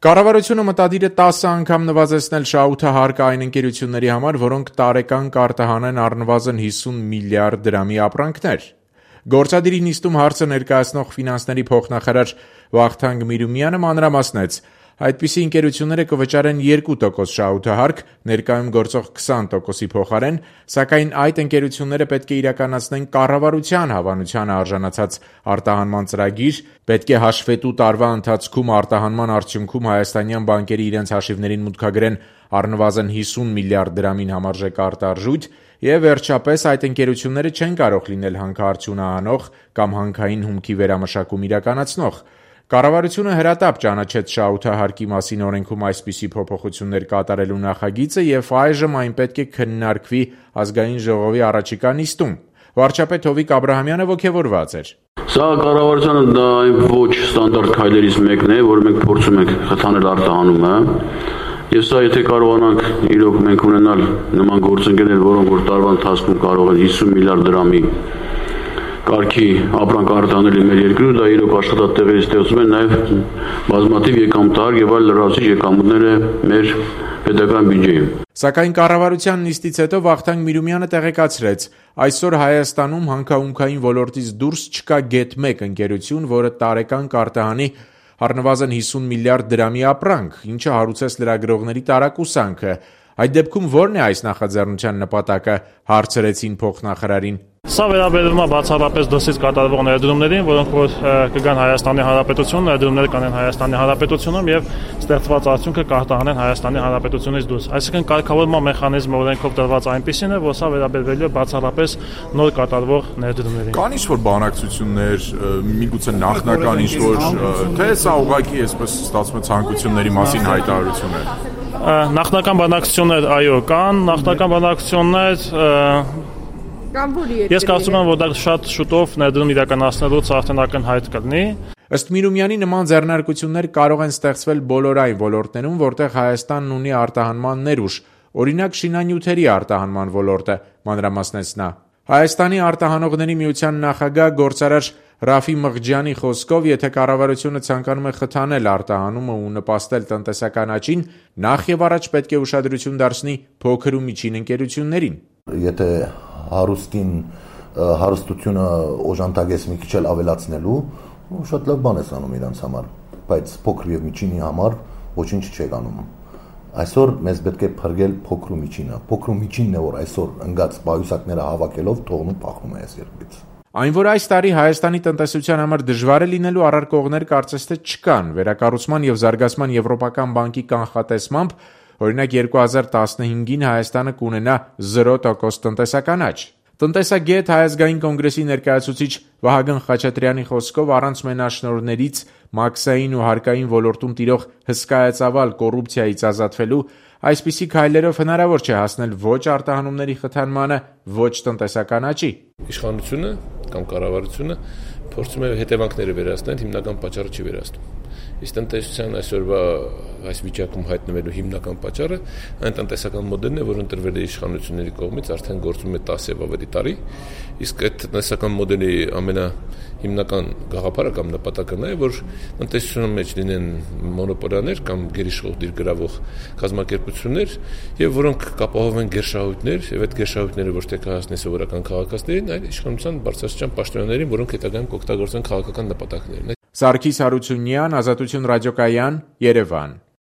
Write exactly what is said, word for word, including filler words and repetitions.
Կառավարությունը մտադիր է տասը անգամ նվազեցնել շահութահարկը այն ընկերությունների համար, որոնք տարեկան կարտահանեն առնվազն հիսուն միլիարդ դրամի ապրանքներ։ Գործադիրի նիստում հարցը ներկայացնող ֆինանսների փոխնախարար Վախթանգ Միրումյանը մանրամասնեց, այդպիսի ընկերությունները կվճարեն երկու տոկոս շահութահարկ, ներկայում գործող քսան տոկոսի փոխարեն, սակայն այդ ընկերությունները պետք է իրականացնեն կառավարության հավանությանը արժանացած արտահանման ծրագիր, պետք է հաշվետու տարվա ընթացքում արտահանման արդյունքում հայաստանյան բանկերի իրենց հաշիվներին մուտքագրեն առնվազն հիսուն միլիարդ դրամին համարժեք արտարժույթ եւ վերջապես այդ ընկերությունները չեն կարող լինել հանքարդյունահանող կամ հանքային հումքի վերամշակում իրականացնող։ Կառավարությունը հրատապ ճանաչեց շահութահարկի մասին օրենքում այսպիսի փոփոխություններ կատարելու նախագիծը եւ այժմ այն պետք է քննարկվի ազգային ժողովի առաջիկա նիստում։ Վարչապետ Հովիկ Աբրահամյանը ոգևորված էր։ Սա կառավարությանը դա այն ոչ ստանդարտ քայլերից մեկն է, որ մենք փորձում ենք խթանել արտահանումը։ Եվ սա եթե կարողանանք իրոք մենք ունենալ նման գործընկերներ, որոնք որ տարվա ընթացքում կարող են հիսուն միլիարդ դրամի կարգի ապրանք արտահանել մեր երկրում, դա իրոք աշխատատեղերի ստեղծում են նաև բազմաթիվ եկամտահար եւ այլ լրացուցիչ եկամուտներ է մեր պետական բյուջեում։ Սակայն կառավարության նիստից հետո Վախթանգ Միրումյանը տեղեկացրեց, այսօր Հայաստանում հանքահունքային ոլորտից դուրս չկա գեթ մեկ ընկերություն, որը տարեկան կարտահանի առնվազն հիսուն միլիարդ դրամի ապրանք, ինչը հարուցեց լրագրողների տարակուսանքը։ Այդ դեպքում ո՞րն է այս նախաձեռնության նպատակը, հարցրեցին փոխնախարարին։ Սա վերաբերում է բացառապես դրսից կատարվող ներդրումներին, որոնք որ կգան Հայաստանի Հանրապետություն, ներդրումները կանեն Հայաստանի Հանրապետությունում եւ ստեղծված արդյունքը կարտահանեն Հայաստանի Հանրապետությունից դուրս։ Այսինքն կարգավորման մեխանիզմը օրենքով տրված այնպիսին է, որ սա վերաբերվելու է բացառապես նոր կատարվող ներդրումներին։ Կան ինչ-որ բանակցություններ, միգուցե նախնական ինչ-որ, թե սա ուղղակի այսպես ստացվում է ցանկությունների մասին հայտարարություն է։ Նախնական բանակցություններ, այո, կան, նախնական բանակցություններ Ես կարծում եմ, որ դա շատ շուտով ներդրում իրականացնելուց արդեն ակնհայտ կլինի։ Ըստ Միրումյանի նման ձեռնարկություններ կարող են ստեղծվել բոլոր այն ոլորտներում, որտեղ Հայաստանն ունի արտահանման ներուժ, օրինակ շինանյութերի արտահանման ոլորտը, մանրամասնեց նա։ Հայաստանի արտահանողների միության նախագահ գործարար Ռաֆի Մղջյանի խոսքով, եթե կառավարությունը ցանկանում է խթանել արտահանումը ու նպաստել տնտեսական աճին, նախ եւ առաջ պետք է ուշադրություն դարձնի փոքր ու միջին ընկերություններին։ Եթե հարուստին հարստությունը օժանդակես մի քիչ ավելացնելու, շատ լավ բան է անում իրանց համար, բայց փոքր եւ միջինի համար ոչինչ չեք անում։ Այսօր մեզ պետք է փրկել փոքր ու միջինը։ Փոքր ու միջինն է, որ այսօր ընկած պայուսակները հավաքելով թողնում փախնում է այս երկրից։ Այն, որ այս տարի Հայաստանի տնտեսության համար դժվար է լինելու առարկողներ կարծես թե չկան, վերակառուցման եւ զարգացման եվրոպական բանկի կանխատեսմամբ, օրինակ երկու հազար տասնհինգին Հայաստանը կունենա զիրո տոկոս տնտեսական աճ։ Տնտեսագետ Հայազգային կոնգրեսի ներկայացուցիչ Վահագն Խաչատրյանի խոսքով առանց մենաշնորհներից մաքսային ու հարկային ոլորտում տիրող հսկայածավալ կոռուպցիայից ազատվելու այսպիսի քայլերով հնարավոր չէ հասնել ոչ արտահանումների խթանմանը, ոչ տնտեսական աճի։ Իշխանությունը կամ կառավարությունը փորձում է հետևանքները վերացնել, հիմնական պատճառը չի վերացնում։ Իսկ տնտեսության այսօրվա այս վիճակում հայտնվելու հիմնական պատճառը այն տնտեսական մոդելն է, որը ընտրվել է իշխանությունների կողմից արդեն գործում է տասը եւ ավելի տարի, իսկ այդ տնտեսական մոդելի ամենահիմնական գաղափարը կամ նպատակը նա է, որ տնտեսության մեջ լինեն մոնոպոլիաներ կամ գերիշխող դիր գրավող կազմակերպություններ, եւ որոնք կապահովեն գերշահույթներ, եւ այդ գերշահույթները ոչ թե կհասնեն սովորական քաղաքացիներին, այլ իշխանության բարձրաստիճան պաշտոնյաներին, որոնք հետագայում կօգտագործեն քաղաքական նպատակներին։ Սարգիս Հարությունյան, Ազատություն ռադիոկայան, Երևան։